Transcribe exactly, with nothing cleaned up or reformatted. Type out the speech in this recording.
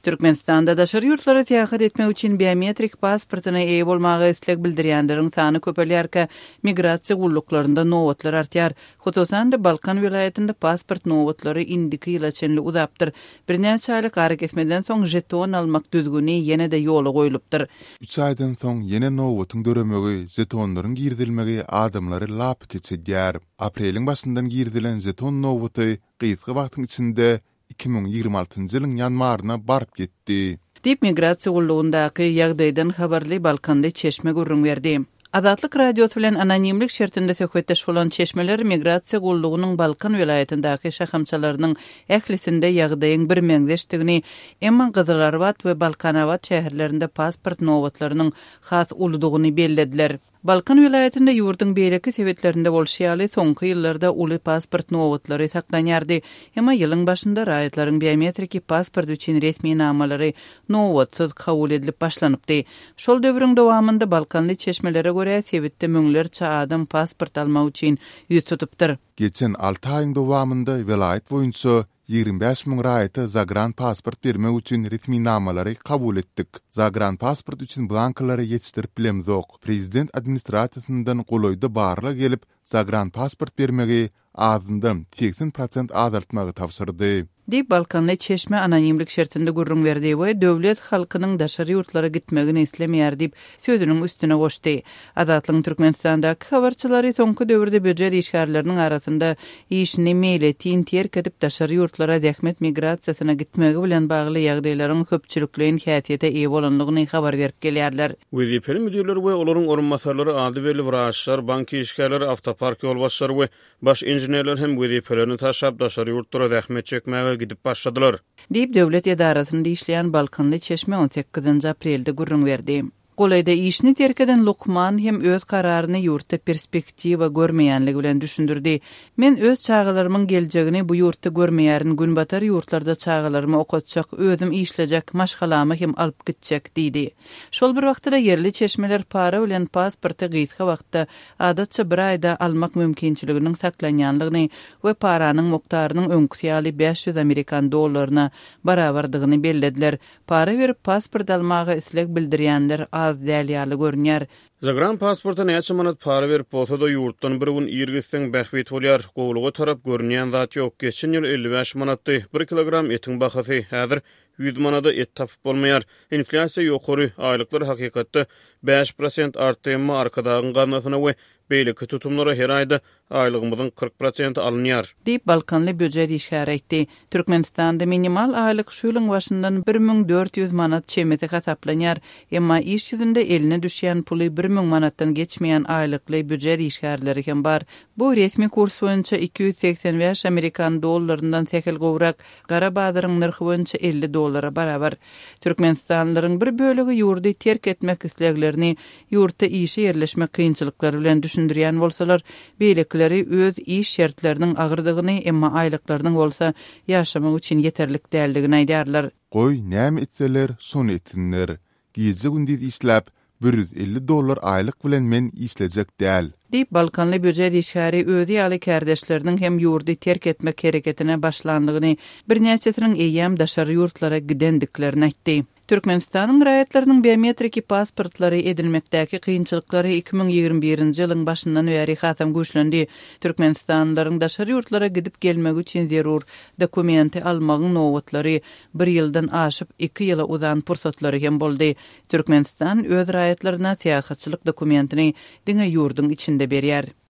Türkmenistanda daşary ýurtlara syýahat etmek üçin biometrik pasportyna eýe bolmaga isleg bildirýänleriň sany köpelýärkä, migrasiýa gulluklarynda nobatlar artýar. Hususan-da, Balkan welaýatynda pasport nobatlary indiki ýyla çenli uzapdyr. Birnäçe aýlyk arakesmeden soň žeton almak düzgüni ýene-de ýola goýlupdyr. Üç aýdan soň ýene nobatyň döremegi, žetonlaryň girizilmegi adamlary lapykeç edýär. Apreliň başyndan girizilen žeton nobaty gysga wagtyň içinde iki müň ýigrimi altynjy ýylyň ýanwaryna baryp ýetdi. Diýip, migrasiýa gullugyndaky ýagdaýdan habarly balkanly çeşme gürrüň berdi. Azatlyk Radiosy bilen anonimlik şertinde söhbetdeş bolan çeşmeler migrasiýa gullugynyň Balkan welaýatyndaky şahamçalarynyň ählisinde ýagdaýyň birmeňzeşdigini, emma Gyzylarbat we Balkanabat şäherlerinde pasport nobatlarynyň has uludygyny bellediler. Balkan welaýatynda ýurduň beýleki sebitlerinde bolşy ýaly, soňky ýyllarda uly pasport nobatlary saklanýardy. Emma ýylyň başynda raýatlaryň biometriki pasport üçin resminamalary nobatsyz kabul edilip başlanypdy. Şol döwrüň dowamynda balkanly çeşmelere görä, sebitde müňlerçe adam pasport almak üçin ýüz tutupdyr. Geçen alty aýyň dowamynda welaýat boýunça ýigrimi bäş müň raýata zagranpasport bermek üçin resminamalary kabul etdik. Zagranpasport üçin blankalary ýetişdirip bilemzok. Prezident administrasiýasyndan golaýda barlag gelip, zagranpasport bermegi azyndan segsen prosent azaltmagy tabşyrdy. Diýip, balkanly çeşme anonimlik şertinde gürrüň berdi we döwlet halkynyň daşary ýurtlara gitmegini islemeýär diýip, sözüniň üstüne goşdy. Azatlygyň Türkmenistandaky habarçylary soňky döwürde býujet işgärleriniň arasynda işini meýletin terk edip daşary ýurtlara zähmet migrasiýasyna gitmegi bilen bagly ýagdaýlaryň köpçülikleýin häsiýete eýe bolandygyny habar berip gelýärler. Wezipeli müdirler we olaryň orunbasarlary, ady belli wraçlar, bank işgärleri, awtopark ýolbaşçylary we baş inženerler hem wezipelerini taşlap daşary ýurtlara zähmet çekmäge gidip başladylar. Diýip, döwlet edarasynda işleýän balkanly çeşme on sekizinji aprelde gürrüň berdi. Golaýda işini terk eden lukman hem öz kararyny ýurtda perspektiwa görmeýänligi bilen düşündirdi. Men öz çagalarymyň geljegini bu ýurtda görmeýärin, günbatar ýurtlarda çagalarymy okatjak, özüm işlejek, maşgalamy hem alyp gitjek diýdi. Şol bir wagtda ýerli çeşmeler para bilen pasporty gysga wagtda, adatça bir aýda almak mümkinçiliginiň saklanýanlygyny we paranyň mukdarynyň öňküsi ýaly bäş ýüz amerikan dollaryna barabardygyny bellediler. Para berip pasport almaga isleg bildirýänler az däl ýaly görünýär. Zagran pasporta näçe manat para berip bolsa-da ýurtdan bir gün ir gitseň bähbit bolýar. Gowluga tarap görünýän zat ýok. Geçen ýyl elli bäş manatdy. Bir kilogram etiň bahasy häzir ýüz manada et tapyp bolmaýar. Inflýasiýa ýokary, aýlyklar hakykatda bäş prosent artdy, emma Arkadagyň gaznasyna we beýleki tutumlara her aýda aýlygymyzyň kyrk prosenti alynýar. Diýip, balkanly býujet işgäri aýtdy. Türkmenistanda minimal aýlyk şu ýylyň başyndan bir müň dört ýüz manat çemesi hasaplanýar. Emma iş ýüzünde eline düşýän puly bir müň manatdan geçmeýän aýlykly býujet işgärleri hem bar. Bu resmi kurs boýunça iki ýüz segsen bäş amerikan dollaryndan sähel gowrak, gara bazaryň nyrhy boýunça elli dollara barabar. Türkmenistanlylaryň bir bölegi ýurdy terk etmek isleglerini ýurtda işe ýerleşmek kynçylyklary bilen düşündirýän bolsalar, beýlekileri öz iş şertleriniň agyrdygyny, emma aýlyklarynyň bolsa ýaşamak üçin ýeterlik däldigini aýdýarlar. Goý, näme etseler, şony etsinler. Gije-gündiz işläp, bir ýüz elli dollar aýlyk bilen men işlejek däl. Diýip, balkanly býujet işgäri özi ýaly kärdeşleriniň hem ýurdy terk etmek hereketine başlandygyny, birnäçesiniň eýýäm daşary ýurtlara gidendiklerini aýtdy. Türkmenistanyň raýatlarynyň biometriki pasportlary edinmekdäki kynçylyklary iki müň ýigrimi birinji ýylyň başyndan bäri hasam güýçlendi. Türkmenistanlylaryň daşary ýurtlara gidip gelmegi üçin zerur dokumenti almagyň nobatlary bir ýyldan aşyp iki ýyla uzan pursatlary hem boldy. Türkmenistan öz raýatlaryna syýahatçylyk dokumentini diňe ýurduň içinde berýär.